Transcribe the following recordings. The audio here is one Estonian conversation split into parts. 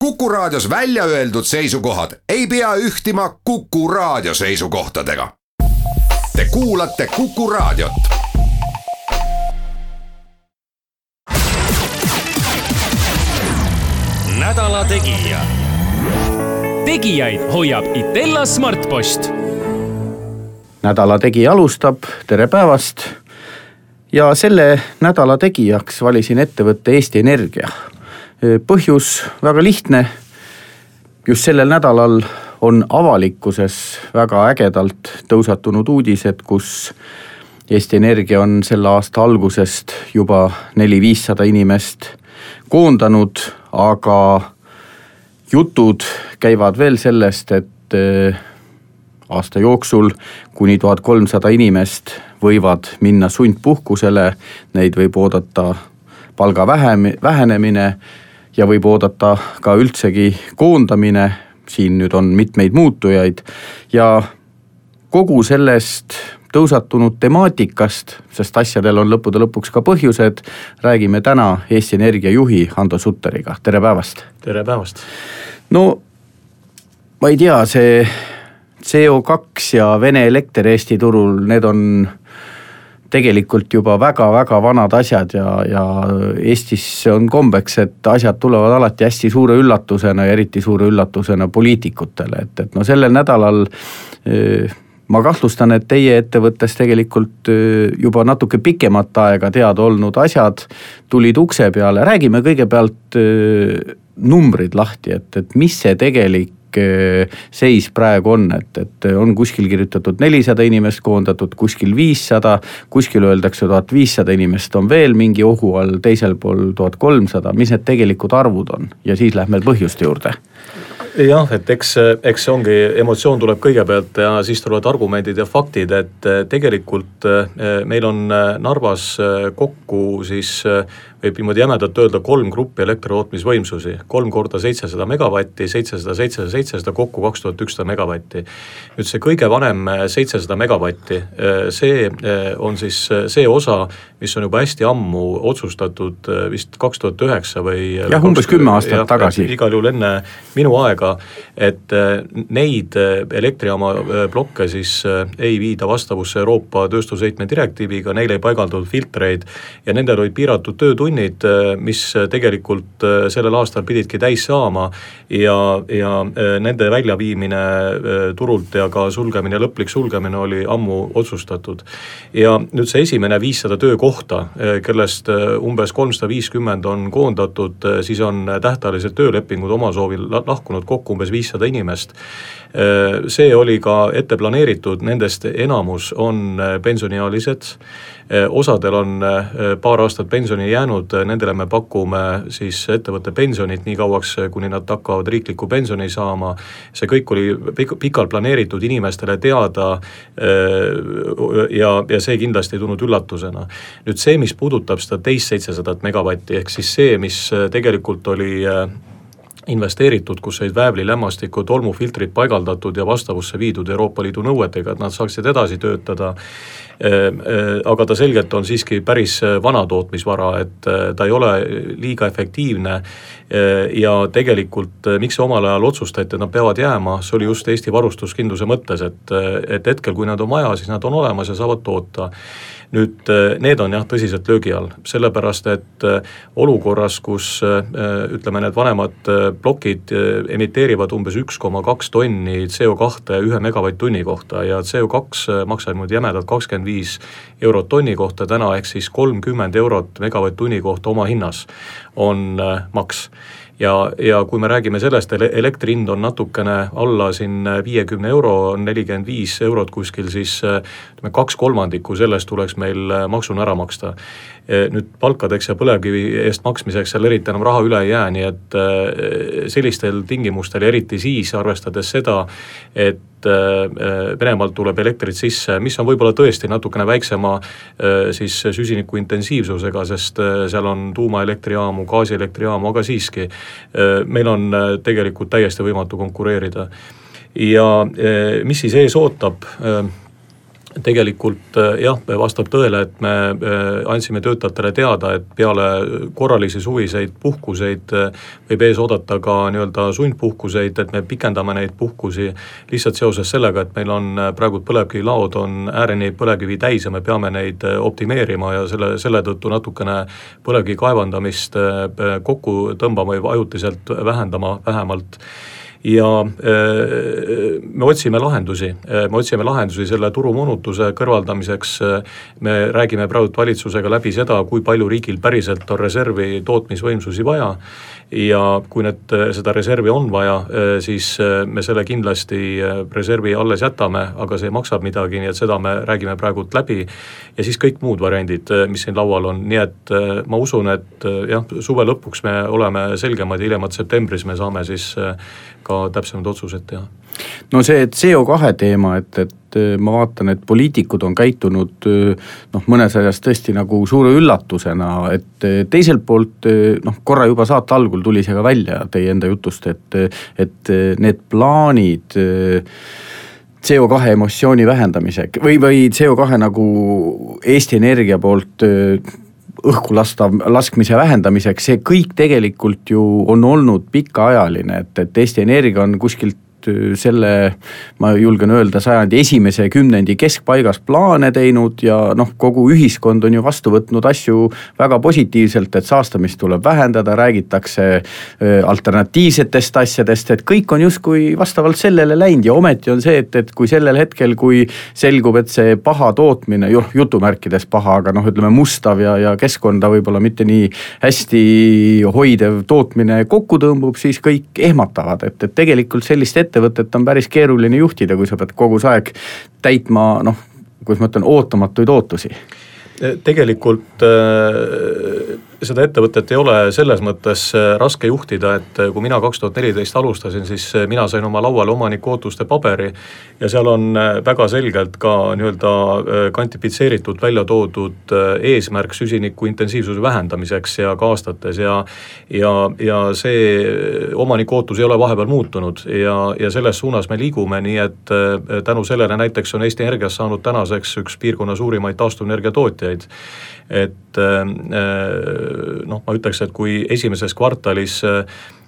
Kuku Raadios välja öeldud seisukohad ei pea ühtima Kuku Raadio seisukohtadega. Te kuulate Kuku Raadiot. Nädala Tegija. Tegijaid hoiab Itella Smartpost. Nädala Tegija alustab, tere päevast. Ja selle nädala tegijaks valisin ettevõtte Eesti Energia. Põhjus väga lihtne. Just sellel nädalal on avalikkuses väga ägedalt tõusatunud uudised, kus Eesti Energia on selle aasta algusest juba 400-500 inimest koondanud, aga jutud käivad veel sellest, et aasta jooksul kuni 1300 inimest võivad minna sundpuhkusele, neid võib oodata palga vähenemine ja võib oodata ka üldsegi koondamine, siin nüüd on mitmeid muutujaid ja kogu sellest tõusatunud temaatikast, sest asjadel on lõppude lõpuks ka põhjused, räägime täna Eesti Energia juhi Hando Sutteriga. Tere päevast! Tere päevast! No, ma ei tea, see CO2 ja Vene elekter Eesti turul, need on tegelikult juba väga-väga vanad asjad ja Eestis on kombeks, et asjad tulevad alati hästi suure üllatusena ja eriti suure üllatusena poliitikutele. Et no sellel nädalal ma kahtlustan, et teie ettevõttes tegelikult juba natuke pikemat aega teada olnud asjad tulid ukse peale. Räägime kõigepealt numbrid lahti, et mis see tegelik seis praegu on, et on kuskil kirjutatud 400 inimest koondatud, kuskil 500, kuskil öeldakse 1500 inimest on veel mingi ohu all, teisel pool 1300, mis need tegelikud arvud on ja siis lähme põhjuste juurde. Jah, et eks ongi, emotsioon tuleb kõigepealt ja siis tulevad argumendid ja faktid, et tegelikult meil on Narvas kokku siis võib niimoodi jämedalt öelda 3 gruppi elektritootmisvõimsusi, 3 korda 700 megavatti, 700, 700, 700, kokku 2100 megavatti. Nüüd see kõige vanem 700 megavatti, see on siis see osa, mis on juba hästi ammu otsustatud vist 2009 või... Jah, umbes 10 aastat tagasi. Igal juhul enne minu aega, et neid elektrijaama blokke siis ei viida vastavusse Euroopa tööstusheitme direktiiviga, neil ei paigaldud filtreid ja nendel olid piiratud töötunnid, mis tegelikult sellel aastal pididki täis saama ja nende väljaviimine turult ja ka sulgemine, lõplik sulgemine oli ammu otsustatud. Ja nüüd see esimene 500 töökohta, kellest umbes 350 on koondatud, siis on tähtajalised töölepingud oma soovil lahkunud kokku umbes 500 inimest. See oli ka ette planeeritud, nendest enamus on pensioniealised, osadel on paar aastat pensioni jäänud, nendele me pakume siis ettevõtte pensionit nii kauaks, kuni nad hakkavad riikliku pensioni saama. See kõik oli pikalt planeeritud inimestele teada ja see kindlasti ei tulnud üllatusena. Nüüd see, mis puudutab seda teist 700 megavatti, ehk siis see, mis tegelikult oli investeeritud, kus olid väävli, lämmastiku, tolmufiltrid paigaldatud ja vastavusse viidud Euroopa Liidu nõuetega, et nad saaksid edasi töötada. Aga ta selgelt on siiski päris vana tootmisvara, et ta ei ole liiga efektiivne ja tegelikult miks see omal ajal otsustati, et nad peavad jääma, see oli just Eesti varustuskindluse mõttes, et hetkel kui nad on vaja, siis nad on olemas ja saavad toota. Nüüd need on jah tõsiselt löögi all, sellepärast et olukorras, kus ütleme need vanemad plokid emiteerivad umbes 1,2 tonni CO2 1 megavatt-tunni kohta ja CO2 maksab nüüd jämedalt 25 eurot tonni kohta täna, ehk siis 30 eurot megavatt-tunni kohta oma hinnas on maks. Ja kui me räägime sellest, elektri hind on natukene alla siin 50 euro, on 45 eurot kuskil, siis 2/3 sellest tuleks meil maksuna ära maksta. Nüüd palkadeks ja põlevkivi eest maksmiseks seal eriti enam raha üle ei jää, nii et sellistel tingimustel, eriti siis arvestades seda, et Venemaalt tuleb elektrit sisse, mis on võib-olla tõesti natukene väiksema siis süsiniku intensiivsusega, sest seal on tuumaelektrijaamu, gaasielektrijaamu, aga siiski meil on tegelikult täiesti võimatu konkureerida. Ja mis siis ees ootab? tegelikult jah, vastab tõele, et me andsime töötajatele teada, et peale korralisi suviseid puhkuseid võib ees oodata ka nii-öelda sundpuhkuseid, et me pikendame neid puhkusi lihtsalt seoses sellega, et meil on praegu põlevkivilaod on ääreni põlevkivi täis ja me peame neid optimeerima ja selle tõttu natukene põlevkivi kaevandamist kokku tõmbama või ajutiselt vähendama vähemalt. Ja me otsime lahendusi selle turumoonutuse kõrvaldamiseks. Me räägime praegu valitsusega läbi seda, kui palju riigil päriselt on reservi tootmisvõimsusi vaja ja kui seda reservi on vaja, siis me selle kindlasti reservi alles jätame, aga see maksab midagi, nii et seda me räägime praegu läbi ja siis kõik muud variandid, mis siin laual on, nii et ma usun, et jah, suve lõpuks me oleme selgemad ja hiljemalt septembris me saame siis ka täpsemad otsused teha. No see CO2 teema, et ma vaatan, et poliitikud on käitunud mõnes asjas tõesti nagu suure üllatusena, et teiselt poolt korra juba saate algul tuli see ka välja teie enda jutust, et need plaanid CO2 emissiooni vähendamise või CO2 nagu Eesti Energia poolt õhku laskmise vähendamiseks, see kõik tegelikult ju on olnud pikaajaline, et Eesti Energia on kuskilt selle, ma julgen öelda, sajandi esimese kümnendi keskpaigas plaane teinud ja kogu ühiskond on ju vastu võtnud asju väga positiivselt, et saastamist tuleb vähendada, räägitakse alternatiivsetest asjadest, et kõik on justkui vastavalt sellele läinud ja ometi on see, et kui sellel hetkel, kui selgub, et see paha tootmine, jutumärkides paha, aga ütleme mustav ja keskkonda võib-olla mitte nii hästi hoidev tootmine kokku tõmbub, siis kõik ehmatavad, et tegelikult sellist ettevõtet on päris keeruline juhtida, kui sa pead kogu aeg täitma, kuidas ma ütlen, ootamatuid ootusi. Tegelikult seda ettevõtet ei ole selles mõttes raske juhtida, et kui mina 2014 alustasin, siis mina sain oma lauale omaniku ootuste paberi ja seal on väga selgelt ka nii-öelda kvantifitseeritud välja toodud eesmärk süsiniku intensiivsuse vähendamiseks ja ka aastates ja see omaniku ootus ei ole vahepeal muutunud ja selles suunas me liigume, nii et tänu sellele näiteks on Eesti Energias saanud tänaseks üks piirkonna suurimaid taastuvenergia tootjaid. Et ma ütleks, et kui esimeses kvartalis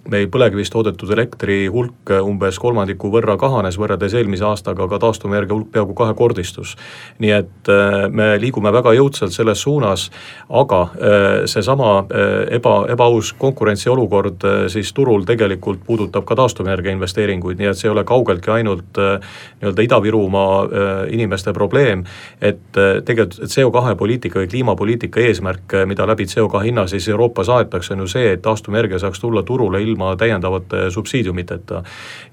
meil põlevkivist toodetud elektri hulk umbes 3% võrra kahanes võrreldes eelmise aastaga, aga taastuvenergia hulk peaaegu kahekordistus. Nii et me liigume väga jõudsalt selles suunas, aga seesama ebaaus konkurentsiolukord siis turul tegelikult puudutab ka taastuvenergia investeeringuid, nii et see ei ole kaugeltki ainult nii-öelda Ida-Virumaa inimeste probleem, et tegelikult CO2 poliitika või kliimapoliitika eesmärk, mida läbi CO2 hinna siis Euroopas aetakse, on ju see, et taastuvenergia saaks tulla turule ilma täiendavate subsiidiumiteta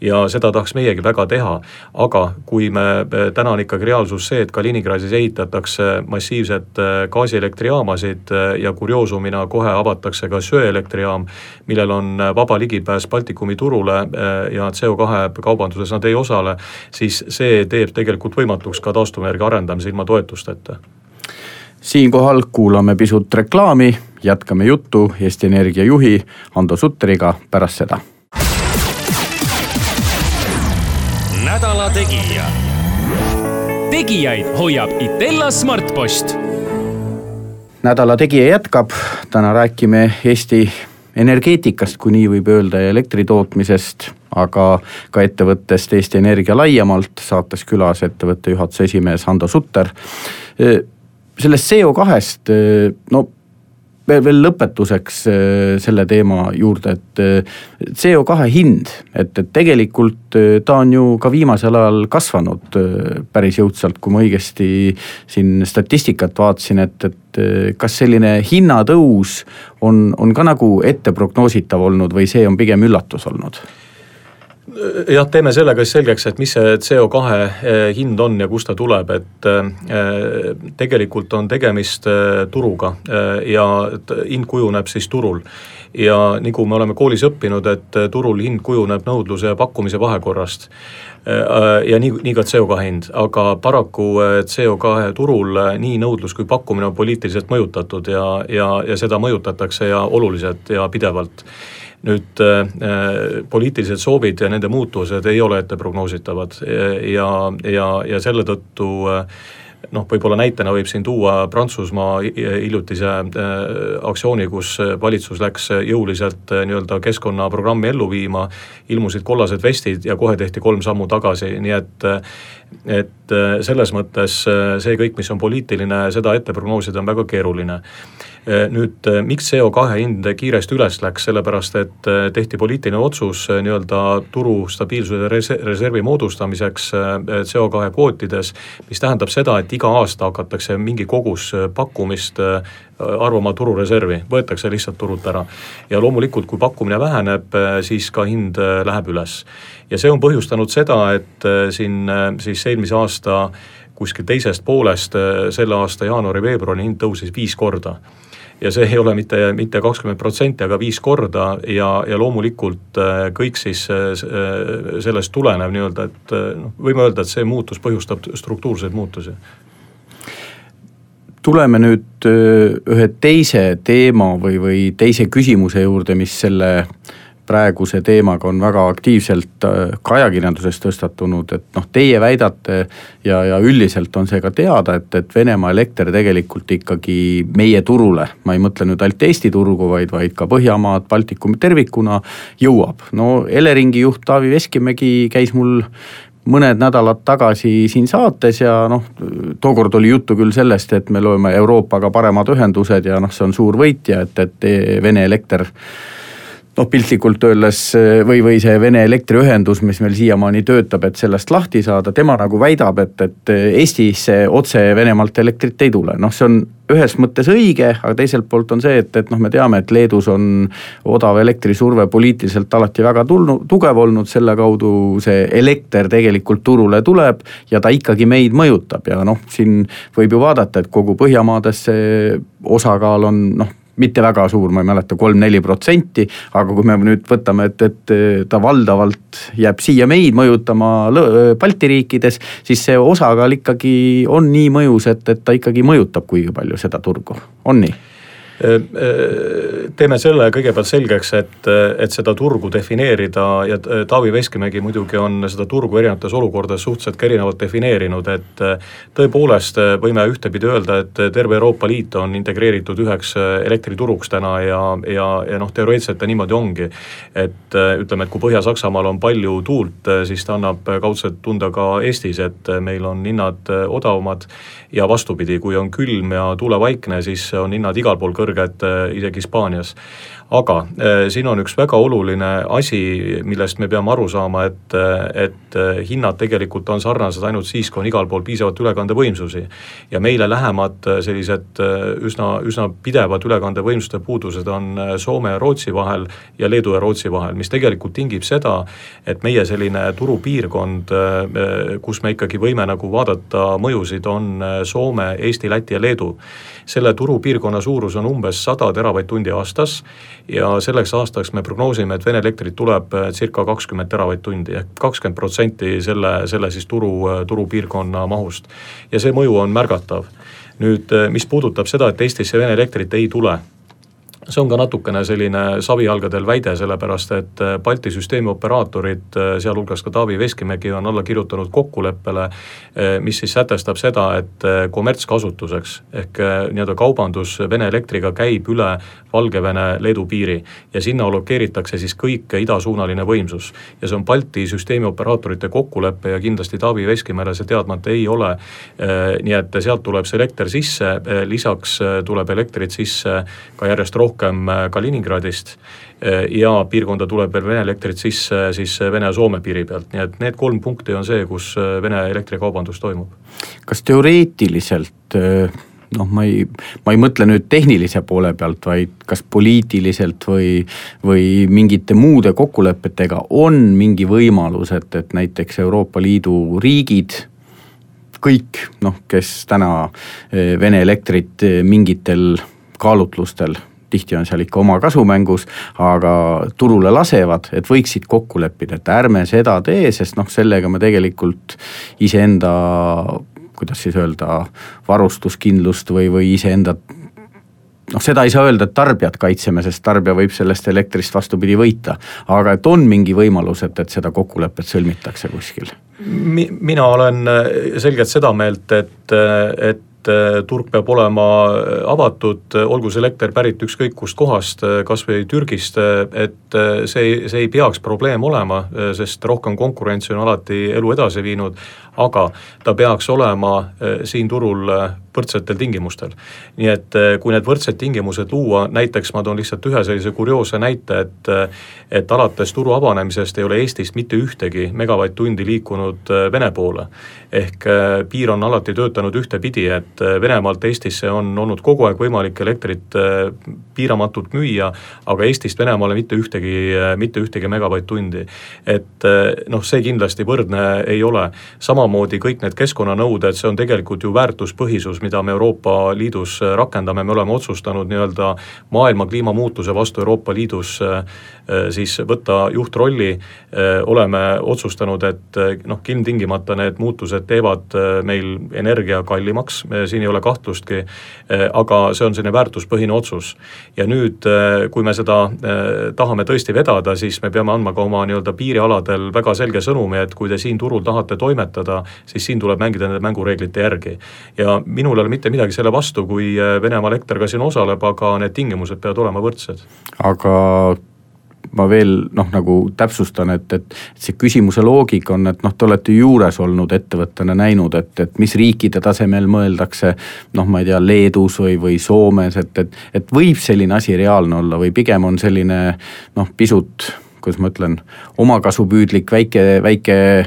ja seda tahaks meiegi väga teha, aga kui me täna on ikkagi reaalsus see, et Kaliningradis ehitatakse massiivset gaasielektrijaamasid ja kurioosumina kohe avatakse ka söeelektrijaam, millel on vaba ligipääs Baltikumi turule ja CO2 kaubanduses nad ei osale, siis see teeb tegelikult võimatuks ka taastuvenergia arendamise ilma toetusteta. Siinkohal kuulame pisut reklaami, jätkame juttu Eesti Energia juhi Hando Sutteriga pärast seda. Nädala tegija. Tegijaid hoiab Itella Smartpost. Nädala tegija jätkab, täna räägime Eesti energeetikast, kui nii võib öelda, ja elektritootmisest, aga ka ettevõttest Eesti Energia laiemalt, saates külas ettevõtte juhatuse esimees Hando Sutter. Sellest CO2-st, veel lõpetuseks selle teema juurde, et CO2 hind, et tegelikult ta on ju ka viimasel ajal kasvanud päris jõudsalt, kui ma õigesti siin statistikat vaatasin, et kas selline hinnatõus on ka nagu ette prognoositav olnud või see on pigem üllatus olnud? Jah, teeme sellega selgeks, et mis see CO2 hind on ja kust ta tuleb, et tegelikult on tegemist turuga ja hind kujuneb siis turul. Ja nagu me oleme koolis õppinud, et turul hind kujuneb nõudluse ja pakkumise vahekorrast ja nii ka CO2 hind, aga paraku CO2 turul nii nõudlus kui pakkumine on poliitiliselt mõjutatud ja seda mõjutatakse ja oluliselt ja pidevalt. nüüd poliitilised soovid ja nende muutused ei ole ette prognoositavad ja selle tõttu võib-olla näitena võib siin tuua Prantsusmaa hiljutise aktsiooni, kus valitsus läks jõuliselt nii-öelda keskkonnaprogrammi ellu viima, ilmusid kollased vestid ja kohe tehti 3 sammu tagasi, nii et selles mõttes see kõik, mis on poliitiline, seda ette prognoosida on väga keeruline. Nüüd, miks CO2 hind kiiresti üles läks, sellepärast et tehti poliitiline otsus nii-öelda turu stabiilsuse reservi moodustamiseks CO2 kvootides, mis tähendab seda, et iga aasta hakatakse mingi kogus pakkumist arvama turureservi, võetakse lihtsalt turult ära. Ja loomulikult, kui pakkumine väheneb, siis ka hind läheb üles. Ja see on põhjustanud seda, et siin siis eelmise aasta kuskil teisest poolest selle aasta jaanuari-veebruari hind tõusis 5 korda. Ja see ei ole mitte 20%, aga 5 korda ja loomulikult kõik siis sellest tulenev nii-öelda, et võime öelda, et see muutus põhjustab struktuurseid muutusi. Tuleme nüüd ühe teise teema või teise küsimuse juurde, mis selle praeguse teemaga on väga aktiivselt ka ajakirjanduses tõstatunud, et teie väidate ja üldiselt on see ka teada, et Venemaa elekter tegelikult ikkagi meie turule, ma ei mõtle nüüd ainult Eesti turgu, vaid ka Põhjamaad, Baltikum tervikuna jõuab. Eleringi juht Taavi Veskimägi käis mul mõned nädalad tagasi siin saates ja tookord oli juttu küll sellest, et me loome Euroopaga paremad ühendused ja see on suur võitja, et Vene elekter piltlikult öeldes või see Vene elektriühendus, mis meil siiamaani töötab, et sellest lahti saada, tema nagu väidab, et Eestisse otse Venemaalt elektrit ei tule. See on ühes mõttes õige, aga teiselt poolt on see, et me teame, et Leedus on odav elektrisurve poliitiliselt alati väga tugev olnud, selle kaudu see elekter tegelikult turule tuleb ja ta ikkagi meid mõjutab ja siin võib ju vaadata, et kogu Põhjamaades see osakaal on mitte väga suur, ma ei mäleta, 3-4%, aga kui me nüüd võtame, et ta valdavalt jääb siia meid mõjutama Balti riikides, siis see osakaal ikkagi on nii mõjus, et ta ikkagi mõjutab kuigi palju seda turgu. On nii? Teeme selle kõigepealt selgeks, et seda turgu defineerida ja Taavi Veskimägi muidugi on seda turgu erinevates olukordades suhteliselt erinevalt defineerinud, et tõepoolest võime ühtepidi öelda, et terve Euroopa Liit on integreeritud üheks elektrituruks täna ja teoreetselt ta niimoodi ongi, et ütleme, et kui Põhja-Saksamaal on palju tuult, siis ta annab kaudselt tunda ka Eestis, et meil on hinnad odavamad ja vastupidi, kui on külm ja tuulevaikne, siis on hinnad igal pool kõrged, isegi Hispaanias. Aga siin on üks väga oluline asi, millest me peame aru saama, et hinnad tegelikult on sarnased ainult siis, kui on igal pool piisavalt ülekandevõimsusi. Ja meile lähemad sellised üsna pidevad ülekandevõimsuste puudused on Soome ja Rootsi vahel ja Leedu ja Rootsi vahel, mis tegelikult tingib seda, et meie selline turupiirkond, kus me ikkagi võime nagu vaadata mõjusid, on Soome, Eesti, Läti ja Leedu. Selle turupiirkonna suurus on umbes 100 teravatt-tundi aastas ja selleks aastaks me prognoosime, et Vene elektrit tuleb circa 20 teravatt-tundi ehk 20% selle siis turupiirkonna mahust. Ja see mõju on märgatav. Nüüd, mis puudutab seda, et Eestisse Vene elektrit ei tule, see on ka natukene selline savijalgadel väide, sellepärast et Balti süsteemi operaatorid, sealhulgas ka Taavi Veskimägi on alla kirjutanud kokkuleppele, mis siis sätestab seda, et kommertskasutuseks ehk nii-öelda kaubandus Vene elektriga käib üle Valgevene Leedu piiri ja sinna allokeeritakse siis kõik idasuunaline võimsus. Ja see on Balti süsteemi operaatorite kokkuleppe ja kindlasti Taavi Veskimäele see teadmata ei ole, nii et sealt tuleb see elekter sisse, lisaks tuleb elektrit sisse ka järjest rohkem Kaliningradist ja piirkonda tuleb veel Vene elektrit sisse siis Vene ja Soome piiri pealt. Nii et need 3 punkti on see, kus Vene elektrikaubandus toimub. Kas teoreetiliselt, ma ei mõtle nüüd tehnilise poole pealt, vaid kas poliitiliselt või mingite muude kokkulepetega on mingi võimalus, et näiteks Euroopa Liidu riigid, kõik, kes täna Vene elektrit mingitel kaalutlustel, tihti on seal ikka oma kasumängus, aga turule lasevad, et võiksid kokku leppida, et ärme seda tee, sest sellega me tegelikult iseenda, kuidas siis öelda, varustuskindlust või iseenda seda ei saa öelda, et tarbijat kaitseme, sest tarbija võib sellest elektrist vastupidi võita, aga et on mingi võimalus, et seda kokkulepet sõlmitakse kuskil. Mina olen selgelt seda meelt, et turg peab olema avatud, olgu see elekter pärit ükskõik kust kohast, kas või Türgist, et see ei peaks probleem olema, sest rohkem konkurentsi on alati elu edasi viinud, aga ta peaks olema siin turul võrdsetel tingimustel. Nii et kui need võrdsed tingimused luua, näiteks ma toon lihtsalt ühe sellise kurioose näite, et alates turu avanemisest ei ole Eestist mitte ühtegi megavatt-tundi liikunud Vene poole. Ehk piir on alati töötanud ühtepidi, et Venemaalt Eestisse on olnud kogu aeg võimalik elektrit piiramatult müüa, aga Eestist Venemaale mitte ühtegi megavatt-tundi. Et see kindlasti võrdne ei ole. Samamoodi kõik need keskkonnanõuded, see on tegelikult ju väärtuspõhisus, mida me Euroopa Liidus rakendame, me oleme otsustanud nii-öelda maailma kliimamuutuse vastu Euroopa Liidus siis võtta juhtrolli, oleme otsustanud, et ilmtingimata need muutused teevad meil energia kallimaks, siin ei ole kahtlustki, aga see on selline väärtuspõhine otsus. Ja nüüd, kui me seda tahame tõesti vedada, siis me peame andma ka oma nii-öelda piirialadel väga selge sõnumi, et kui te siin turul tahate toimetada, siis siin tuleb mängida nende mängureeglite järgi. Ja minul ei ole mitte midagi selle vastu, kui Venemaa elekter ka siin osaleb, aga need tingimused peavad olema võrdsed. Aga ma veel nagu täpsustan, et see küsimuse loogika on, et te olete juures olnud ettevõttena näinud, et mis riikide tasemel mõeldakse, ma ei tea, Leedus või Soomes, et võib selline asi reaalne olla või pigem on selline pisut, kuidas ma ütlen, omakasupüüdlik väike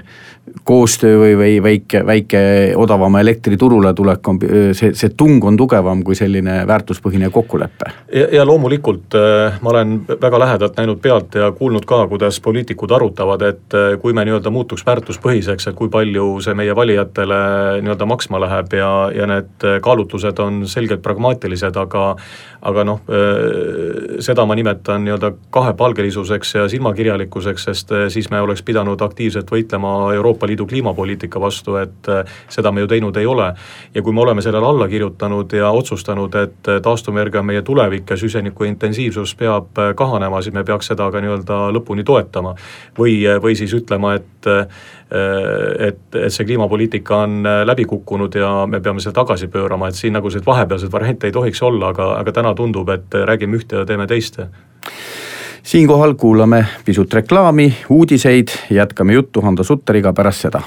koostöö või väike odavama elektriturule tulek on, see tung on tugevam kui selline väärtuspõhine kokkulepe. Ja loomulikult ma olen väga lähedalt näinud pealt ja kuulnud ka, kuidas poliitikud arutavad, et kui me nii-öelda muutuks väärtuspõhiseks, et kui palju see meie valijatele nii-öelda maksma läheb ja need kaalutlused on selgelt pragmaatilised, aga seda ma nimetan nii-öelda kahepalgelisuseks ja silmakirjalikkuseks, sest siis me oleks pidanud aktiivselt võitlema Euroopa Liidu kliimapoliitika vastu, et seda me ju teinud ei ole. Ja kui me oleme sellele alla kirjutanud ja otsustanud, et taastuvenergia on meie tulevik ja süsiniku intensiivsus peab kahanema, siis me peaks seda ka nii-öelda lõpuni toetama. Või siis ütlema, et see kliimapoliitika on läbi kukkunud ja me peame seda tagasi pöörama, et siin nagu see vahepealsed variante ei tohiks olla, aga täna tundub, et räägime ühte ja teeme teiste. Siinkohal kuulame pisut reklaami, uudiseid, jätkame juttu Hando Sutteriga pärast seda.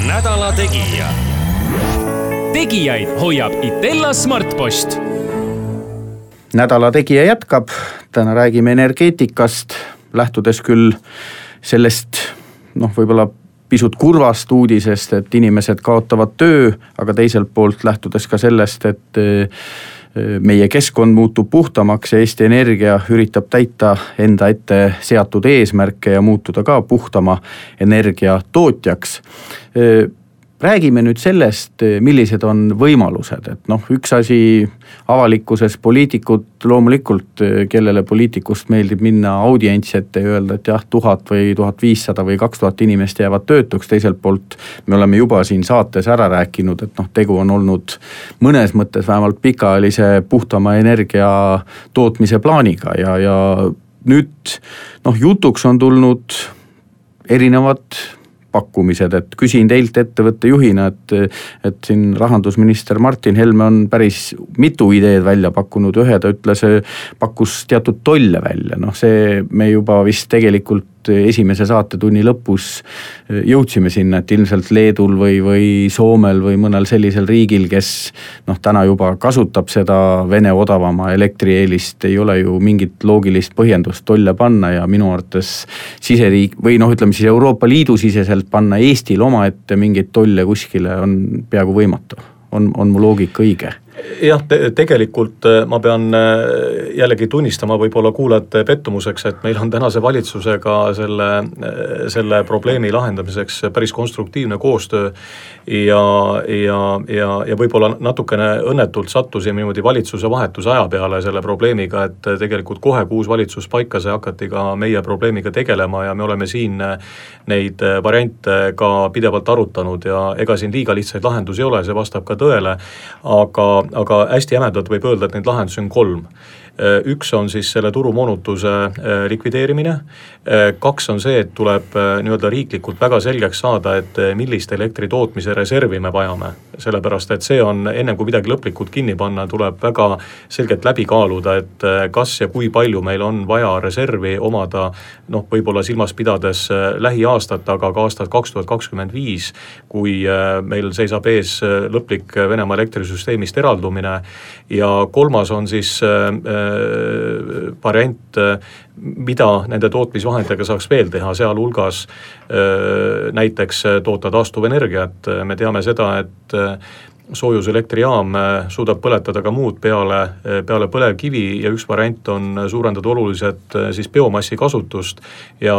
Nädala Tegija. Tegijaid hoiab Itella Smartpost. Nädala Tegija jätkab, täna räägime energeetikast, lähtudes küll sellest, võib-olla pisut kurvast uudisest, et inimesed kaotavad töö, aga teiselt poolt lähtudes ka sellest, et meie keskkond muutub puhtamaks ja Eesti Energia üritab täita enda ette seatud eesmärke ja muutuda ka puhtama energia tootjaks. Räägime nüüd sellest, millised on võimalused, et üks asi avalikkuses poliitikud loomulikult, kellele poliitikust meeldib minna audientsi ette ja öelda, et jah, 1000 või 1500 või 2000 inimest jäävad töötuks, teiselt poolt me oleme juba siin saates ära rääkinud, et tegu on olnud mõnes mõttes vähemalt pikaajalise puhtama energia tootmise plaaniga ja nüüd jutuks on tulnud erinevad pakkumised, et küsin teilt ettevõtte juhina, et siin rahandusminister Martin Helme on päris mitu ideed välja pakkunud, ühe ta ütles, pakkus teatud tolle välja, see me juba vist tegelikult esimese saatetunni lõpus jõudsime sinna, et ilmselt Leedul või Soomel või mõnel sellisel riigil, kes täna juba kasutab seda Vene odavama elektrieelist, ei ole ju mingit loogilist põhjendust tolle panna ja minu arvates siseriik või ütleme siis Euroopa Liidu siseselt panna Eestil oma ette mingeid tolle kuskile on peaaegu võimatu. On mu loogika õige? Jah, tegelikult ma pean jällegi tunnistama võib-olla kuulajate pettumuseks, et meil on tänase valitsusega selle probleemi lahendamiseks päris konstruktiivne koostöö ja võib-olla natukene õnnetult sattusime niimoodi valitsuse vahetuse aja peale selle probleemiga, et tegelikult kohe kui uus valitsus paika sai, hakati ka meie probleemiga tegelema ja me oleme siin neid variante ka pidevalt arutanud ja ega siin liiga lihtsaid lahendusi ei ole, see vastab ka tõele, aga hästi jämedalt võib öelda, et neid lahendusi on 3. Üks on siis selle turumoonutuse likvideerimine, 2 on see, et tuleb nii-öelda riiklikult väga selgeks saada, et millist elektri tootmise reservi me vajame. Sellepärast, et see on enne kui midagi lõplikult kinni panna, tuleb väga selgelt läbi kaaluda, et kas ja kui palju meil on vaja reservi omada, võib-olla silmas pidades lähiaastat, aga ka aastat 2025, kui meil seisab ees lõplik Venemaa elektrisüsteemist eraldumine ja 3 on siis variant, mida nende tootmisvahenditega saaks veel teha, sealhulgas näiteks toota taastuvenergiat. Me teame seda, et soojuselektrijaam suudab põletada ka muud peale põlevkivi ja üks variant on suurendada oluliselt siis biomassi kasutust ja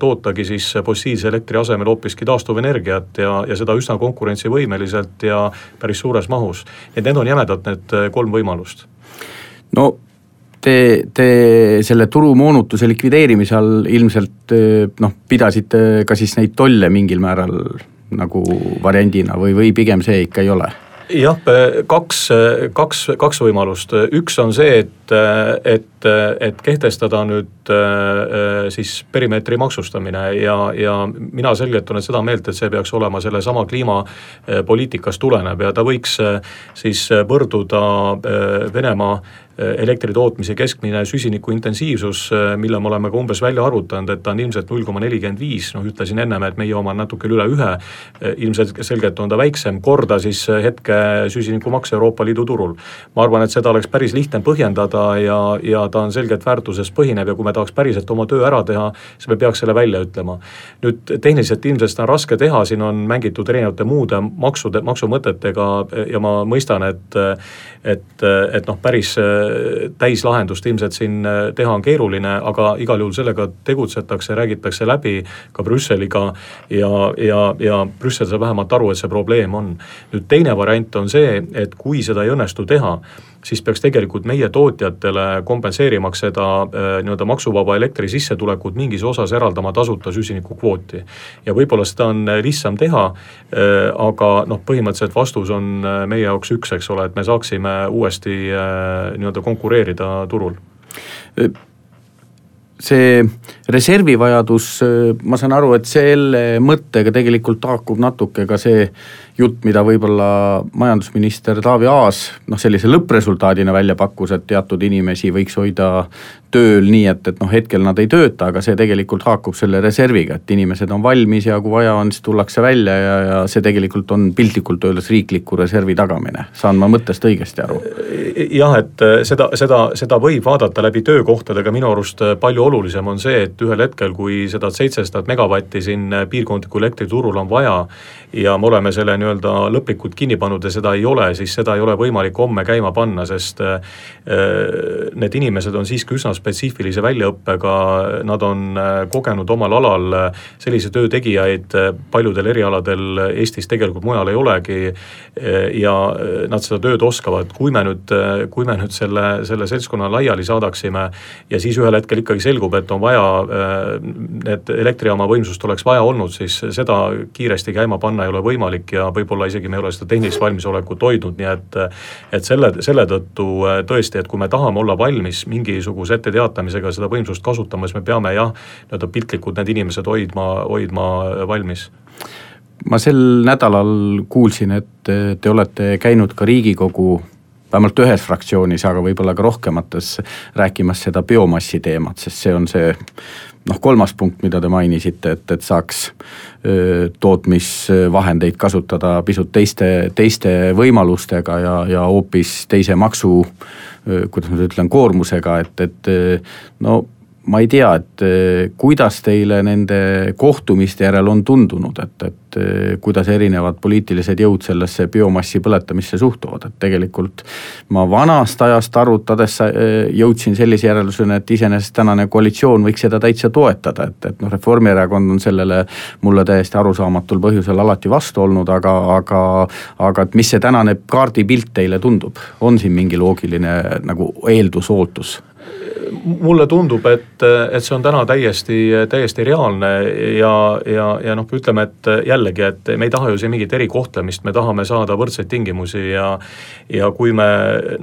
tootagi siis fossiilse elektri asemel hoopiski taastuvenergiat ja seda üsna konkurentsivõimeliselt ja päris suures mahus. Need on jämedalt need 3 võimalust. No te selle turumoonutuse likvideerimise all ilmselt pidasite ka siis neid tolle mingil määral nagu variandina või pigem see ikka ei ole? Jah, kaks võimalust. Üks on see, et kehtestada nüüd siis perimeetri maksustamine ja mina selgelt olen seda meelt, et see peaks olema selle sama kliimapoliitikast tulenev ja ta võiks siis võrduda Venemaa elektritootmise keskmine süsiniku intensiivsus, mille me oleme ka umbes välja arvutanud, et ta on ilmselt 0,45, ütlesin ennem, et meie oma on natuke üle 1, ilmselt selgelt on ta väiksem, korda siis hetke süsinikumaks Euroopa Liidu turul. Ma arvan, et seda oleks päris lihtne põhjendada ja ta on selgelt väärtuses põhinev ja kui me tahaks päriselt oma töö ära teha, siis me peaks selle välja ütlema. Nüüd tehniliselt ilmselt on raske teha, siin on mängitud erinevate muude maksumõtetega ja ma mõistan, et päris täislahendust ilmselt siin teha on keeruline, aga igal juhul sellega tegutsetakse, räägitakse läbi ka Brüsseliga ja Brüssel saab vähemalt aru, et see probleem on. Nüüd teine variant on see, et kui seda ei õnnestu teha, siis peaks tegelikult meie tootjatele kompenseerimaks seda nii-öelda maksuvaba elektri sissetulekut mingis osas eraldama tasuta süsinikukvooti. Ja võib-olla seda on lihtsam teha, aga põhimõtteliselt vastus on meie jaoks üks, eks ole, et me saaksime uuesti nii-öelda konkureerida turul. See reservivajadus, ma saan aru, et selle mõttega tegelikult haakub natuke ka see jutt, mida võib-olla majandusminister Taavi Aas sellise lõppresultaadina välja pakkus, et teatud inimesi võiks hoida tööl nii, et hetkel nad ei tööta, aga see tegelikult haakub selle reserviga, et inimesed on valmis ja kui vaja on, siis tullakse välja ja see tegelikult on piltlikult öeldes riikliku reservi tagamine. Saan ma mõttest õigesti aru? Jah, et seda võib vaadata läbi töökohtadega, minu arust palju olulisem on see, et ühel hetkel, kui seda 700 megavatti siin piirkondliku elektriturul on vaja ja me oleme selle nii-öelda lõplikult kinni pannud ja seda ei ole, siis seda ei ole võimalik homme käima panna, sest need inimesed on siiski üsna spetsiifilise väljaõppega, nad on kogenud omal alal sellise töötegijaid paljudel erialadel Eestis tegelikult mujal ei olegi ja nad seda tööd oskavad. Kui me nüüd selle seltskonna laiali saadaksime ja siis ühel hetkel ikkagi selgub, et on vaja, et elektrijaama võimsust oleks vaja olnud, siis seda kiiresti käima panna ei ole võimalik ja võib-olla isegi me ei ole seda tehnilist valmisolekut hoidnud, nii et selle tõttu tõesti, et kui me tahame olla valmis mingisuguse etteteatamisega seda võimsust kasutama, siis me peame piltlikult need inimesed hoidma valmis. Ma sel nädalal kuulsin, et te olete käinud ka Riigikogu vähemalt ühes fraktsioonis, aga võib-olla ka rohkemates rääkimas seda biomassi teemat, sest see on see 3. punkt, mida te mainisite, et saaks tootmisvahendeid kasutada pisut teiste võimalustega ja hoopis teise maksu, kuidas ma ütlen, koormusega, et ma ei tea, et kuidas teile nende kohtumiste järel on tundunud, et kuidas erinevad poliitilised jõud sellesse biomassi põletamisse suhtuvad, et tegelikult ma vanast ajast arutades jõudsin sellise järeldusena, et iseenesest tänane koalitsioon võiks seda täitsa toetada, et Reformierakond on sellele mulle täiesti arusaamatul põhjusel alati vastu olnud, aga et mis see tänane kaardipilt teile tundub, on siin mingi loogiline nagu eeldusootus? Mulle tundub, et see on täna täiesti reaalne ja noh, ütleme, et jällegi, et me ei taha ju siin mingit erikohtlemist, me tahame saada võrdseid tingimusi ja kui me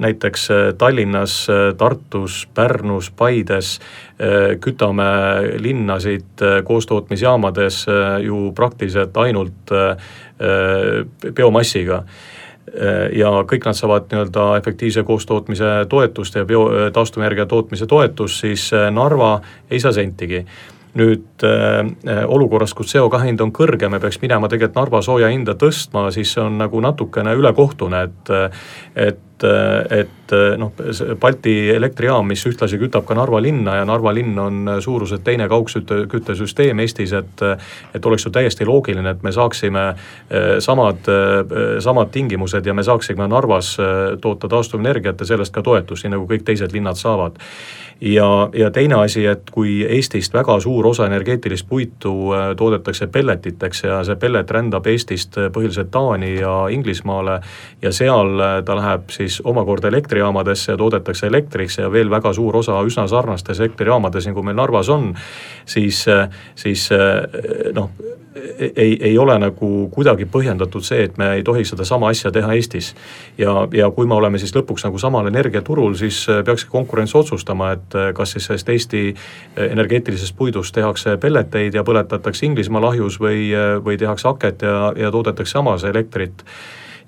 näiteks Tallinnas, Tartus, Pärnus, Paides kütame linnasid koostootmisjaamades ju praktiliselt ainult biomassiga, ja kõik nad saavad nii-öelda efektiivse koostootmise toetust ja taastuvenergia tootmise toetust, siis Narva ei saa sentigi. Nüüd olukorras, kus CO2 hind on kõrge, me peaks minema tegelikult Narva sooja hinda tõstma, siis see on nagu natukene ülekohtune, et noh, Balti elektrijaam, mis ühtlasi kütab ka Narva linna ja Narva linn on suuruselt teine kaugküttesüsteem Eestis, et oleks ju täiesti loogiline, et me saaksime samad tingimused ja me saaksime Narvas toota taastuvenergiat ja sellest ka toetust, nii nagu kõik teised linnad saavad. Ja teine asi, et kui Eestist väga suur osa energeetilist puitu toodetakse pelletiteks ja see pellet rändab Eestist põhiliselt Taani ja Inglismaale ja seal ta läheb siis omakorda elektrijaamadesse ja toodetakse elektriks ja veel väga suur osa üsna sarnastes elektrijaamades, nagu meil Narvas on, siis noh, ei ole nagu kuidagi põhjendatud see, et me ei tohi seda sama asja teha Eestis. Ja kui me oleme siis lõpuks nagu samal energiaturul, siis peaks konkurents otsustama, et kas siis sellest Eesti energeetilisest puidust tehakse pelleteid ja põletatakse Inglismaa lahjus või tehakse haket ja toodetakse samas elektrit.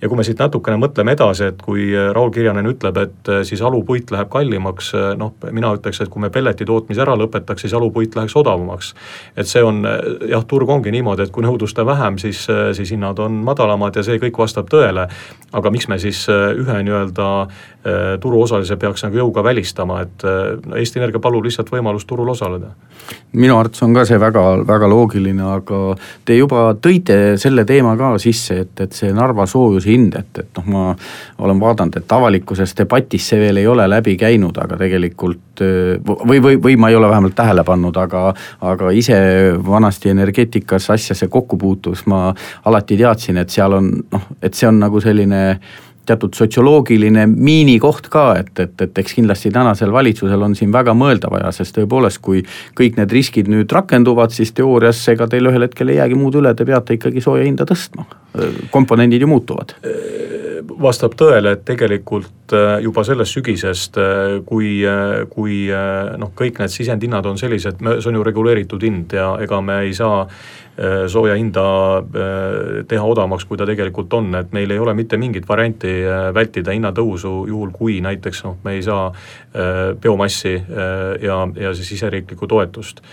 Ja kui me siit natukene mõtleme edasi, et kui Raul Kirjanen ütleb, et siis alupuit läheb kallimaks, noh, mina ütleks, et kui me pelleti tootmise ära lõpetaks, siis alupuit läheks odavamaks. Et see on, jah, turg ongi niimoodi, et kui nõudlust on vähem, siis hinnad on madalamad ja see kõik vastab tõele. Aga miks me siis ühe nii-öelda turuosalise peaks nagu jõuga välistama, et Eesti Energia palub lihtsalt võimalust turul osaleda? Minu arvates on ka see väga, väga loogiline, aga te juba tõite selle teema ka sisse, et see Narva soojuse hind, et noh, ma olen vaadanud, et avalikkuses debatis see veel ei ole läbi käinud, aga tegelikult või ma ei ole vähemalt tähele pannud, aga ise vanasti energeetikas asjasse kokku puutus, ma alati teadsin, et seal on, noh, et see on nagu selline teatud sotsioloogiline miinikoht ka, et eks kindlasti tänasel valitsusel on siin väga mõelda vaja, sest tõepoolest, kui kõik need riskid nüüd rakenduvad, siis teoorias ega teil ühel hetkel ei jäägi muud üle, te peate ikkagi sooja hinda tõstma. Komponendid ju muutuvad. Vastab tõele, et tegelikult juba sellest sügisest, kui noh, kõik need sisendhinnad on sellised, see on ju reguleeritud hind ja ega me ei saa sooja hinda teha odavamaks, kui ta tegelikult on, et meil ei ole mitte mingit varianti vältida hinnatõusu juhul, kui näiteks noh, me ei saa biomassi ja siis siseriiklikku toetust.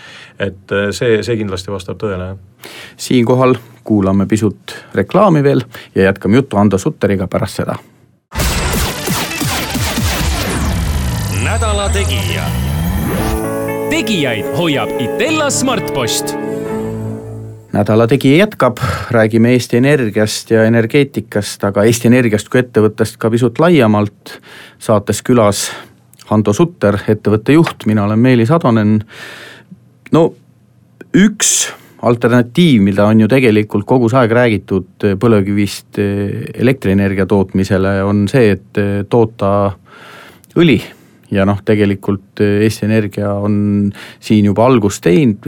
Et see kindlasti vastab tõele. Siinkohal kuulame pisut reklaami veel ja jätkame juttu Ando Sutteriga pärast seda. Nädala tegija. Tegijaid hoiab Itella Smartpost. Nädala tegija jätkab, räägime Eesti Energiast ja energeetikast, aga Eesti Energiast kui ettevõttest ka pisut laiemalt. Saates külas Ando Sutter, ettevõtte juht, mina olen Meelis Atonen. No üks alternatiiv, mida on ju tegelikult kogu aeg räägitud põlevkivist elektrienergia tootmisele, on see, et toota õli. Ja noh, tegelikult Eesti Energia on siin juba algust teinud.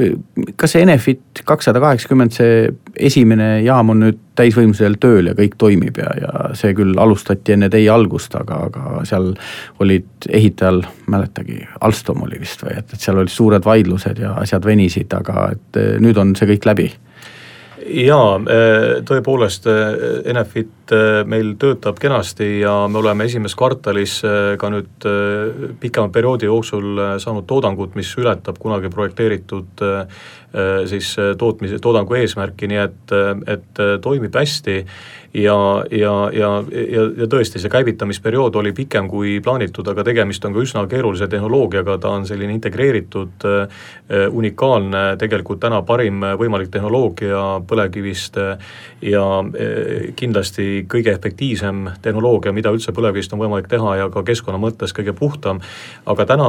Kas see Enefit 280, see esimene jaam on nüüd täisvõimsusel tööl ja kõik toimib ja see küll alustati enne teie algust, aga seal olid ehitajal, mäletagi, Alstom oli vist või, et seal olid suured vaidlused ja asjad venisid, aga et nüüd on see kõik läbi. Jaa, tõepoolest Enefit meil töötab kenasti ja me oleme esimeses kvartalis ka nüüd pikema perioodi jooksul saanud toodangut, mis ületab kunagi projekteeritud siis toodangu eesmärki, nii et toimib hästi ja tõesti, see käivitamisperiood oli pikem kui plaanitud, aga tegemist on ka üsna keerulise tehnoloogiaga, ta on selline integreeritud, unikaalne, tegelikult täna parim võimalik tehnoloogia põlevkivist ja kindlasti kõige efektiivsem tehnoloogia, mida üldse põlevkivist on võimalik teha ja ka keskkonna mõttes kõige puhtam. Aga täna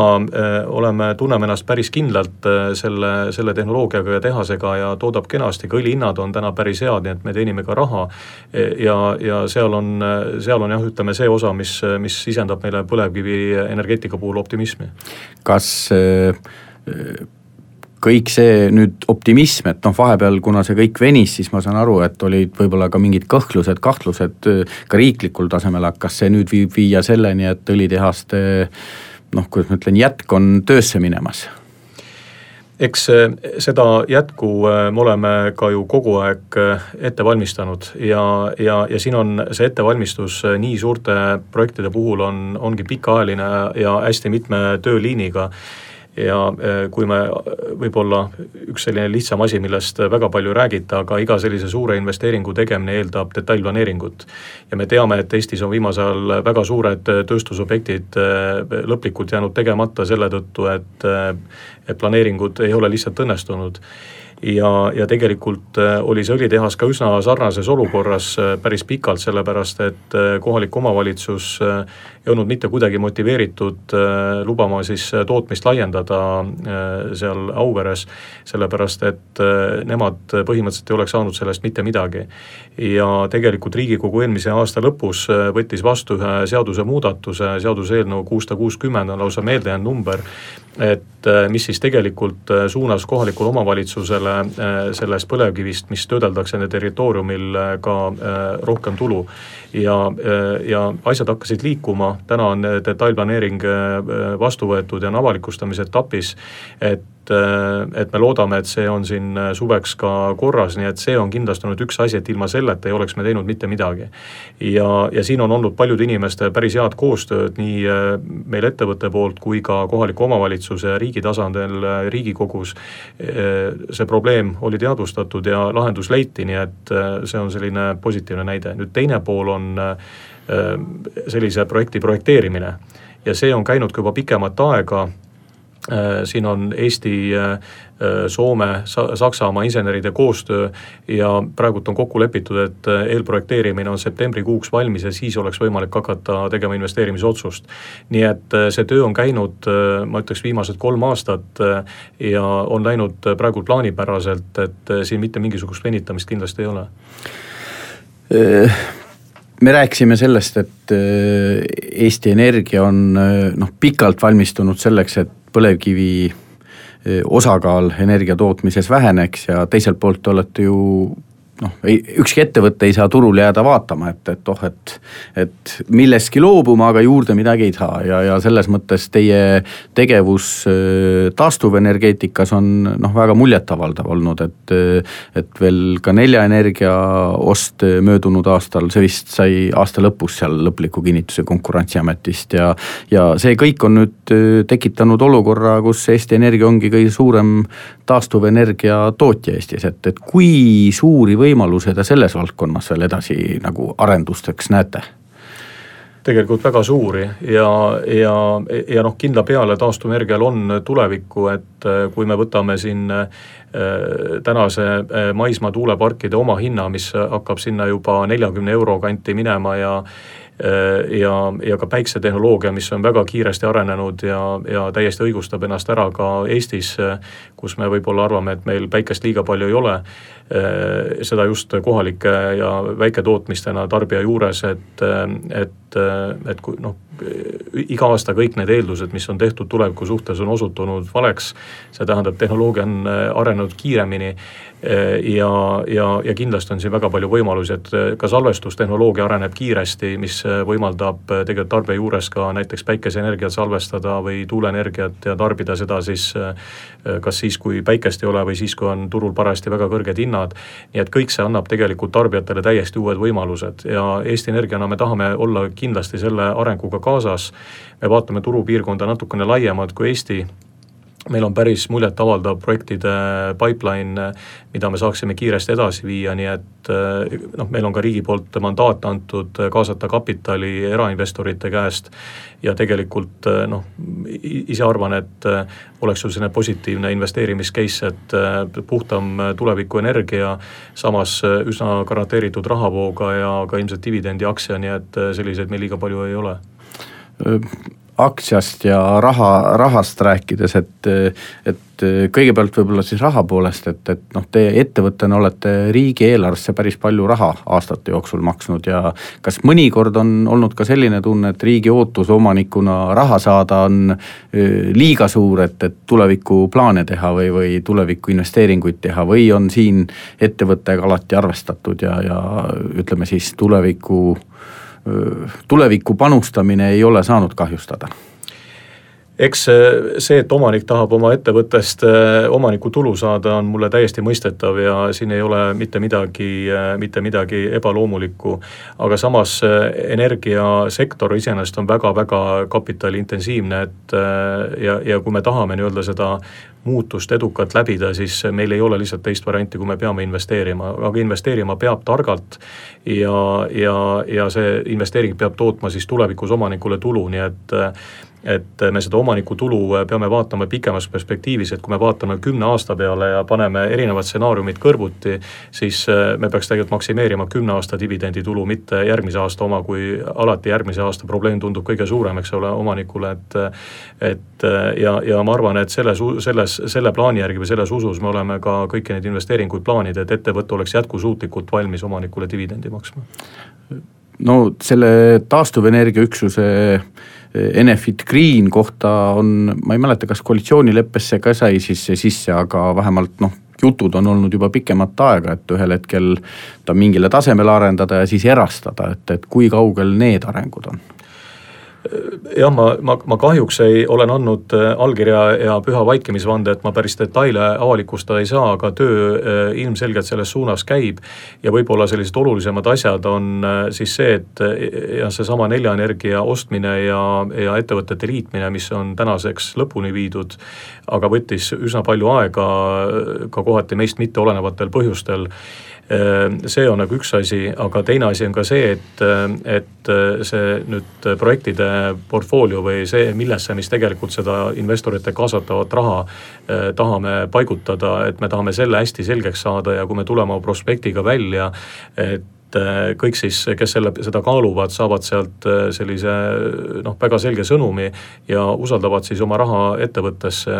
tunneme ennast päris kindlalt selle tehnoloogiaga ja tehasega ja toodab kenasti, ka õlihinnad on täna päris head, nii et me teenime ka raha ja seal on jah, ütleme see osa, mis sisendab meile põlevkivi energeetika puhul optimismi. Kas kõik see nüüd optimism, et vahepeal, kuna see kõik venis, siis ma saan aru, et olid võib-olla ka mingid kõhklused, kahtlused ka riiklikul tasemel, kas see nüüd viib viia selleni, et õlitehaste, kuidas ma ütlen, jätk on töösse minemas? Eks seda jätku me oleme ka ju kogu aeg ette valmistanud ja siin on see ettevalmistus nii suurte projektide puhul ongi pikaajaline ja hästi mitme tööliiniga. Ja kui me võib-olla üks selline lihtsam asi, millest väga palju räägita, aga iga sellise suure investeeringu tegemine eeldab detailplaneeringut. Ja me teame, et Eestis on viimasel väga suured tööstusobjektid lõplikult jäänud tegemata selle tõttu, et planeeringud ei ole lihtsalt õnnestunud. Ja tegelikult oli see õlitehas ka üsna sarnases olukorras päris pikalt, sellepärast et kohalik omavalitsus ei olnud mitte kuidagi motiveeritud lubama siis tootmist laiendada seal Auveres, sellepärast et nemad põhimõtteliselt ei oleks saanud sellest mitte midagi. Ja tegelikult Riigikogu eelmise aasta lõpus võttis vastu ühe seadusemuudatuse, seaduseelnõu 660 on lausa meeldejäänud number, et mis siis tegelikult suunas kohalikul omavalitsusele sellest põlevkivist, mis töödeldakse nende territooriumil ka rohkem tulu. Ja asjad hakkasid liikuma, täna on detailplaneering vastu võetud ja on avalikustamise etapis, et me loodame, et see on siin suveks ka korras, nii et see on kindlasti olnud üks asi, et ilma selleta ei oleks me teinud mitte midagi. Ja siin on olnud paljude inimeste päris head koostööd nii meil ettevõtte poolt kui ka kohaliku omavalitsuse riigi tasandil Riigikogus. See probleem oli teadvustatud ja lahendus leiti, nii et see on selline positiivne näide. Nüüd teine pool on sellise projekti projekteerimine ja see on käinud ka juba pikemat aega. Siin on Eesti, Soome, Saksamaa inseneride koostöö ja praegult on kokku lepitud, et eelprojekteerimine on septembrikuuks valmis ja siis oleks võimalik hakata tegema investeerimisotsust. Nii et see töö on käinud, ma ütleks, viimased 3 aastat ja on läinud praegult plaanipäraselt, et siin mitte mingisugust venitamist kindlasti ei ole. Me rääkisime sellest, et Eesti Energia on pikalt valmistunud selleks, et põlevkivi osakaal energia tootmises väheneks ja teiselt poolt olete ju ükski ettevõtte ei saa turul jääda vaatama, et milleski loobuma, aga juurde midagi ei saa ja selles mõttes teie tegevus taastuvenergeetikas on väga muljetavaldav olnud, et veel ka Nelja Energia ost möödunud aastal, see vist sai aasta lõpus seal lõpliku kinnituse Konkurentsiametist ja see kõik on nüüd tekitanud olukorra, kus Eesti Energia ongi kõige suurem taastuvenergia tootja Eestis, et kui suuri võimalused selles valdkonnas veel edasi nagu arendusteks näete? Tegelikult väga suuri ja kindla peale taastuvenergial on tulevikku, et kui me võtame siin tänase maismaa tuuleparkide oma hinna, mis hakkab sinna juba 40 euro kanti minema ja ka päiksetehnoloogia, mis on väga kiiresti arenenud ja täiesti õigustab ennast ära ka Eestis, kus me võib-olla arvame, et meil päikest liiga palju ei ole, seda just kohalike ja väiketootmistena tarbija juures, et iga aasta kõik need eeldused, mis on tehtud tuleviku suhtes, on osutunud valeks, see tähendab, tehnoloogia on arenenud kiiremini ja kindlasti on siin väga palju võimalusi, et ka salvestustehnoloogia areneb kiiresti, mis võimaldab tegelikult tarbija juures ka näiteks päikeseenergiat salvestada või tuuleenergiat ja tarbida seda siis kas siis, kui päikest ei ole või siis, kui on turul parajasti väga kõrged hinnad. Nii et kõik see annab tegelikult tarbijatele täiesti uued võimalused ja Eesti Energiana me tahame olla kindlasti selle arenguga kaasas. Me vaatame turupiirkonda natukene laiemalt kui Eesti meil on päris muljet avaldav projektide pipeline, mida me saaksime kiiresti edasi viia, nii et meil on ka riigi poolt mandaat antud kaasata kapitali erainvestorite käest ja tegelikult ise arvan, et oleks ju selline positiivne investeerimiscase, et puhtam tulevikuenergia, samas üsna garanteeritud rahavooga ja ka ilmselt dividendi aktsia, nii et selliseid meil liiga palju ei ole. Aktsiast ja rahast rääkides, et kõigepealt võib-olla siis raha poolest, et teie ettevõttena olete riigieelarvesse päris palju raha aastate jooksul maksnud ja kas mõnikord on olnud ka selline tunne, et riigi ootus omanikuna raha saada on liiga suur, et tuleviku plaane teha või tuleviku investeeringuid teha või on siin ettevõttega alati arvestatud ja ütleme siis tuleviku panustamine ei ole saanud kahjustada? Eks see, et omanik tahab oma ettevõttest omaniku tulu saada, on mulle täiesti mõistetav ja siin ei ole mitte midagi ebaloomulikku. Aga samas energiasektor iseenesest on väga-väga kapitaliintensiivne, ja kui me tahame nii-öelda seda muutust edukalt läbida, siis meil ei ole lihtsalt teist varianti, kui me peame investeerima. Aga investeerima peab targalt ja see investeering peab tootma siis tulevikus omanikule tulu, nii et me seda omaniku tulu peame vaatama pikemas perspektiivis, et kui me vaatame 10 aasta peale ja paneme erinevad stsenaariumid kõrvuti, siis me peaks tegelikult maksimeerima 10 aasta dividendi tulu, mitte järgmise aasta oma, kui alati järgmise aasta probleem tundub kõige suurem, eks ole, omanikule, ja ma arvan, et selle plaani järgi või selles usus me oleme ka kõiki neid investeeringuid plaanid, et ettevõte oleks jätkusuutlikult valmis omanikule dividendi maksma. No selle taastuvenergia üksuse Enefit Green kohta on, ma ei mäleta, kas koalitsioonileppesse ka sai siis sisse, aga vähemalt jutud on olnud juba pikemat aega, et ühel hetkel ta mingile tasemele arendada ja siis erastada, et kui kaugel need arengud on? Jah, ma kahjuks olen andnud allkirja ja püha vaikimisvande, et ma päris detaile avalikustada ei saa, aga töö ilmselgelt selles suunas käib ja võib-olla sellised olulisemad asjad on siis see, et seesama Neljaenergia ostmine ja ettevõtete liitmine, mis on tänaseks lõpuni viidud, aga võttis üsna palju aega ka kohati meist mitte olenevatel põhjustel. See on nagu üks asi, aga teine asi on ka see, et see nüüd projektide portfoolio või see, millesse mis tegelikult seda investorite kaasatavat raha tahame paigutada, et me tahame selle hästi selgeks saada ja kui me tuleme prospektiga välja, et kõik siis, kes seda kaaluvad, saavad sealt sellise väga selge sõnumi ja usaldavad siis oma raha ettevõttesse,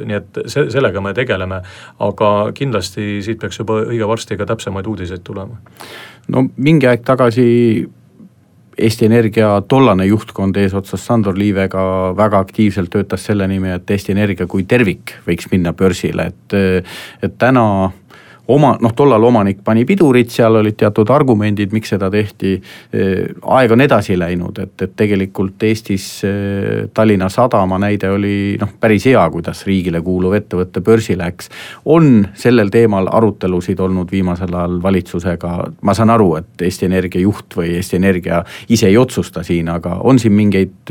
nii et sellega me tegeleme, aga kindlasti siit peaks juba õige varsti ka täpsemaid uudiseid tulema. No mingi aeg tagasi Eesti Energia tollane juhtkond eesotsas Sandor Liivega väga aktiivselt töötas selle nimi, et Eesti Energia kui tervik võiks minna börsile, et täna tollal omanik pani pidurit, seal olid teatud argumendid, miks seda tehti, aeg on edasi läinud, et tegelikult Eestis Tallinna Sadama näide oli päris hea, kuidas riigile kuuluv ettevõtte börsi läks. On sellel teemal arutelusid olnud viimasel ajal valitsusega, ma saan aru, et Eesti Energia juht või Eesti Energia ise ei otsusta siin, aga on siin mingeid,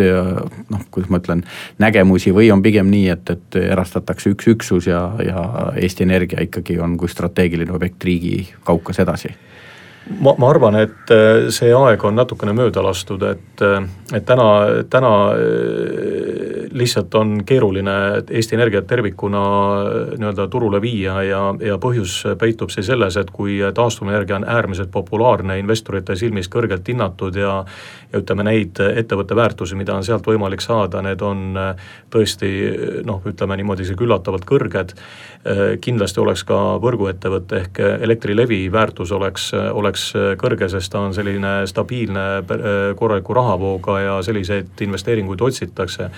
kuidas ma ütlen, nägemusi või on pigem nii, et erastatakse üks üksus ja Eesti Energia ikkagi on kui strateegiline objekt riigi kaukas edasi? Ma arvan, et see aeg on natukene mööda lastud, et täna lihtsalt on keeruline Eesti Energiat tervikuna nii-öelda turule viia ja põhjus peitub see selles, et kui taastuvenergia on äärmiselt populaarne, investorite silmis kõrgelt hinnatud ja ütleme neid ettevõtte väärtusi, mida on sealt võimalik saada, need on tõesti, ütleme niimoodi küllatavalt kõrged. Kindlasti oleks ka võrguettevõtte ehk Elektrilevi väärtus oleks kõrge, sest ta on selline stabiilne korraliku rahavooga ja selliseid investeeringuid otsitakse.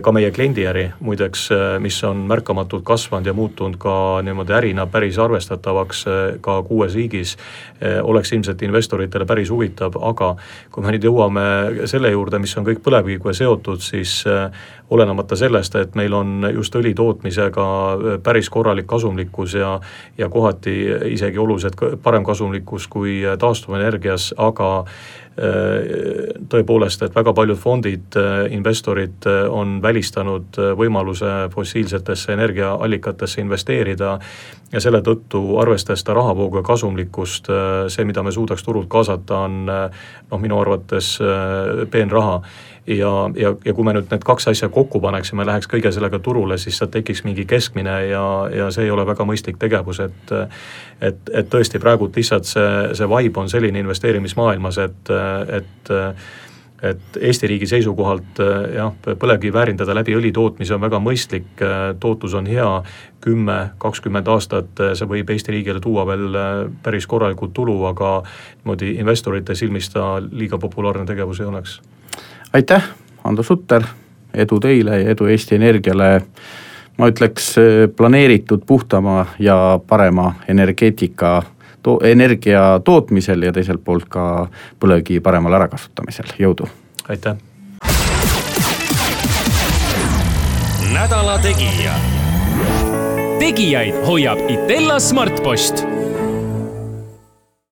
Ka meie kliendiäri, muideks, mis on märkamatult kasvanud ja muutunud ka niimoodi ärina päris arvestatavaks ka 6 riigis, oleks ilmselt investoritele päris huvitav, aga kui me nüüd jõuame selle juurde, mis on kõik põlevkiviga seotud, siis olenemata sellest, et meil on just õli tootmisega päris korralik kasumlikkus ja kohati isegi oluliselt parem kasumlikkus kui taastuvenergias, aga tõepoolest, et väga paljud fondid, investorid on välistanud võimaluse fossiilsetesse energiaallikatesse investeerida ja selle tõttu arvestades seda rahavoogu ja kasumlikkust, see, mida me suudaks turult kaasata, on minu arvates peenraha. Ja kui me nüüd need kaks asja kokku paneksime, läheks kõige sellega turule, siis sealt tekiks mingi keskmine ja see ei ole väga mõistlik tegevus, et tõesti praegu lihtsalt see vibe on selline investeerimismaailmas, et Eesti riigi seisukohalt põlevkivi väärindada läbi õli tootmise on väga mõistlik, tootlus on hea, 10-20 aastat see võib Eesti riigile tuua veel päris korralikult tulu, aga niimoodi investorite silmis ta liiga populaarne tegevus ei oleks. Aitäh, Ando Sutter, edu teile ja edu Eesti Energiale, ma ütleks planeeritud puhtama ja parema energia tootmisel ja teiselt poolt ka põlevkivi paremal ärakasutamisel, jõudu! Aitäh! Nädala Tegija. Tegijaid hoiab Itella Smartpost.